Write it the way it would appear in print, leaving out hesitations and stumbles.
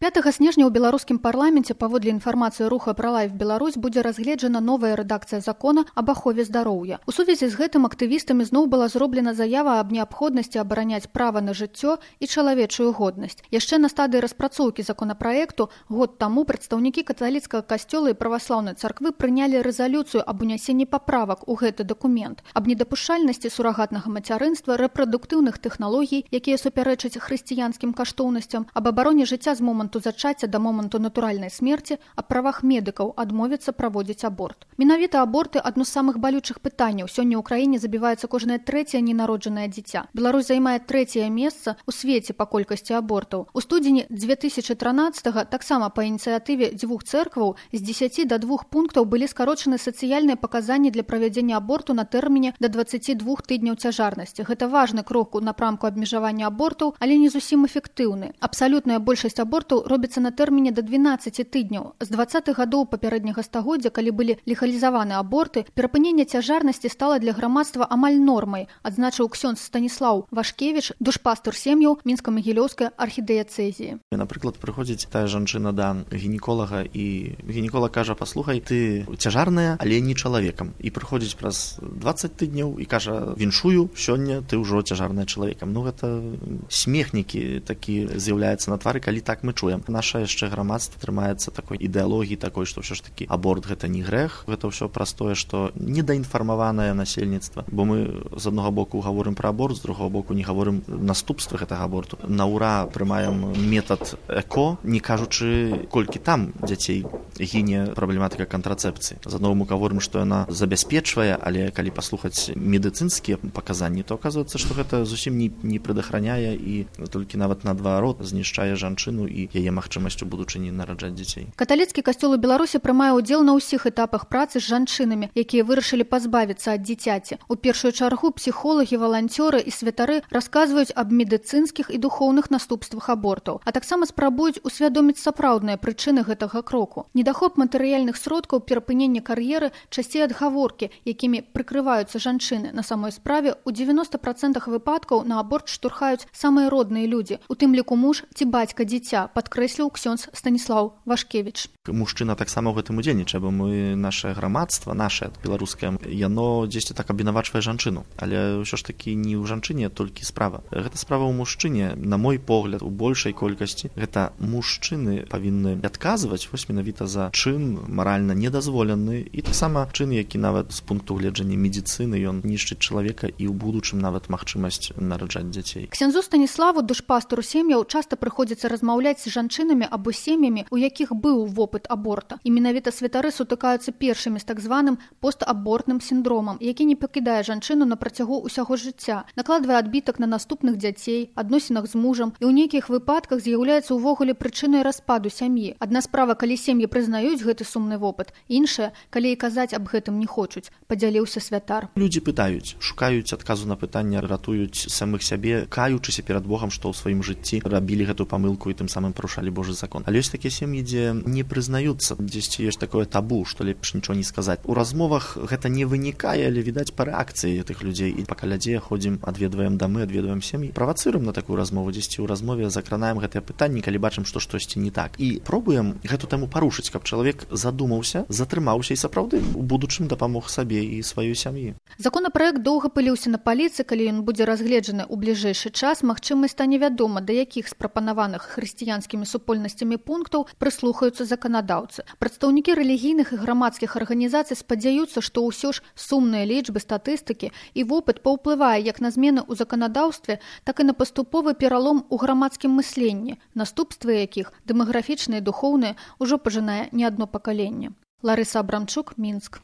5 снежня ў беларускім парламенце паводле інфармацыі руха «Пралайф Беларусь» будзе разгледжана новая рэдакцыя закона аб ахове здароўя. У сувязі з гэтым актывістамі зноў была зроблена заява аб неабходнасці абараняць права на жыццё і чалавечую годнасць. Яшчэ на стадыі распрацоўкі законапраекту год таму прадстаўнікі каталіцкага касцёла і праваслаўнай царквы прынялі рэзалюцыю аб унясенні паправак у гэты дакумент, аб недапушчальнасці сурагатнага мацярынства, рэпрадуктыўных тэхналогій, якія супярэчаць хрысціянскім каштоўнасцям, аб абароне жыцця з моманту зачацця да моманту натуральнай смерці, аб правах медыкаў адмовіцца праводзіць аборт. Менавіта аборты адно з самых балючых пытанняў. Сёння ў краіне забіваецца кожнае трэцяе ненароджанае дзіця. Беларусь займае трэцяе месца ў свеце па колькасці абортаў. У студзені 2013-го таксама па ініцыятыве дзвюх цэркваў з 10 до 2 пунктаў былі скарочаны сацыяльныя паказанні для правядзення аборту на тэрміне да 22 тыдняў цяжарнасці. Гэта важны крок у напрамку абмежавання абортаў, але не зусім эфектыўны. Абсалютная большасць абортаў робіцца на тэрміне да 12 тыдняў. З 20-х гадоў папярэдняга стагоддзя, калі былі легалізаваны аборты, перапыненне цяжарнасці стала для грамадства амаль нормай, адзначыў ксёндз Станіслаў Вашкевіч, душпастар сем'яў Мінска-Магілёўскай архідыяцэзіі. Напрыклад, прыходзіць тая жанчына да гінеколага, і гінеколаг кажа: «Паслухай, ты цяжарная, але не чалавекам». І прыходзіць праз 20 тыдняў і кажа: «Віншую, сёння ты ўжо цяжарная чалавекам». Ну, гэта смехнікі такі з'яўляецца на твары, калі так мы чуем. Наша яшчэ грамадства трымаецца такой ідэалогіі такой, што ўсё ж такі аборт гэта не грэх, гэта ўсё праз тое, што недаінфармаванае насельніцтва. Бо мы з аднаго боку гаворым пра аборт, з другого боку не гаворым наступствы гэтага аборту. На ўра прымаем метад эко, не кажучы, колькі там дзяцей гіне праблематыка кантрацэпцыі. З аднаго боку гаворым, што яна забяспечвае, але калі паслухаць медыцынскія паказанні, то аказваецца, што гэта зусім не прадахраняе і толькі нават наадварот знішчае жанчыну і яе магчымасць у будучыні нараджаць дзяцей. Каталіцкі касцёл у Беларусі прымае ўдзел на ўсіх этапах працы з жанчынамі, якія вырашылі пазбавіцца ад дзіцяці. У першую чаргу псіхолагі, валанцёры і святары расказваюць аб медыцынскіх і духоўных наступствах абортаў, а таксама спрабуюць усвядоміць сапраўдныя прычыны гэтага кроку. Недахоп матэрыяльных сродкаў, перапынення кар'еры, часцей адгаворкі, якімі прыкрываюцца жанчыны. На самой справе у 90% выпадкаў на аборт штурхаюць самыя родныя людзі, у тым ліку муж ці бацька дзіця, падкрэсліў ксёндз Станіслаў Вашкевіч. Мужчына таксама ў гэтым удзельнічае, бо мы, нашае грамадства, нашае беларускае, яно дзесьці так абвінавачвае жанчыну. Але ўсё ж такі не ў жанчыне толькі справа. Гэта справа ў мужчыне. На мой погляд, у большай колькасці гэта мужчыны павінны адказваць вось менавіта за чын маральна недазволены і таксама чын, які нават з пункту гледжання медыцыны ён нішчыць чалавека і ў будучым нават магчымасць нараджаць дзяцей. Ксяндзу Станіславу, душпастару сем'яў, часта прыходзіцца размаўляць з жанчынамі або сем'ямі, у якіх быў вопыт аборта. І менавіта святары сутыкаюцца першымі з так званым постабортным сіндромам, які не пакідае жанчыну на працягу ўсяго жыцця, накладвае адбітак на наступных дзяцей, адносінах з мужам і ў нейкіх выпадках з'яўляецца ўвогуле прычынай распаду сям'і. Адна справа, калі сем'і прызнаюць гэты сумны вопыт, іншая, калі і казаць аб гэтым не хочуць, падзяліўся святар. Людзі пытаюць, шукаюць адказу на пытанне, ратуюць самых сябе, каючыся перад Богам, што ў сваім жыцці рабілі гэту памылку і тым самым парушалі Божы закон. Але ёсць такія сем'і, дзе не прызнаюцца, дзесьці ёсць такое табу, што лепш нічого не сказаць. У размовах гэта не вынікае, але відаць па рэакцыі тых людзей. І па калядзе ходзім, адведваем дамы, адведваем сем'і, правацыруем на такую размову, дзесьці ў размове закранаем гэтыя пытанні, калі бачым, што штосьці не так. І пробуем гэту тэму парушыць, каб чалавек задумаўся, затрымаўся і сапраўды у будучым дапамог сабе і сваёй сям'і. Законапраект доўга пыліўся на паліцы, калі ён будзе разгледжаны ў бліжэйшы час, магчыма, стане вядома, да якіх з прапанаваных хрысціянскімі супольнасцямі пунктаў прыслухаюцца заканадаўцы. Прадстаўнікі рэлігійных і грамадскіх арганізацый спадзяюцца, што ўсё ж сумныя лічбы, статыстыкі і вопыт паўплывае як на змены ў заканадаўстве, так і на паступовы пералом у грамадскім мысленні, наступствы якіх, дэмаграфічныя і духоўныя, ужо пажынае не адно пакаленне. Ларыса Абрамчук, Мінск.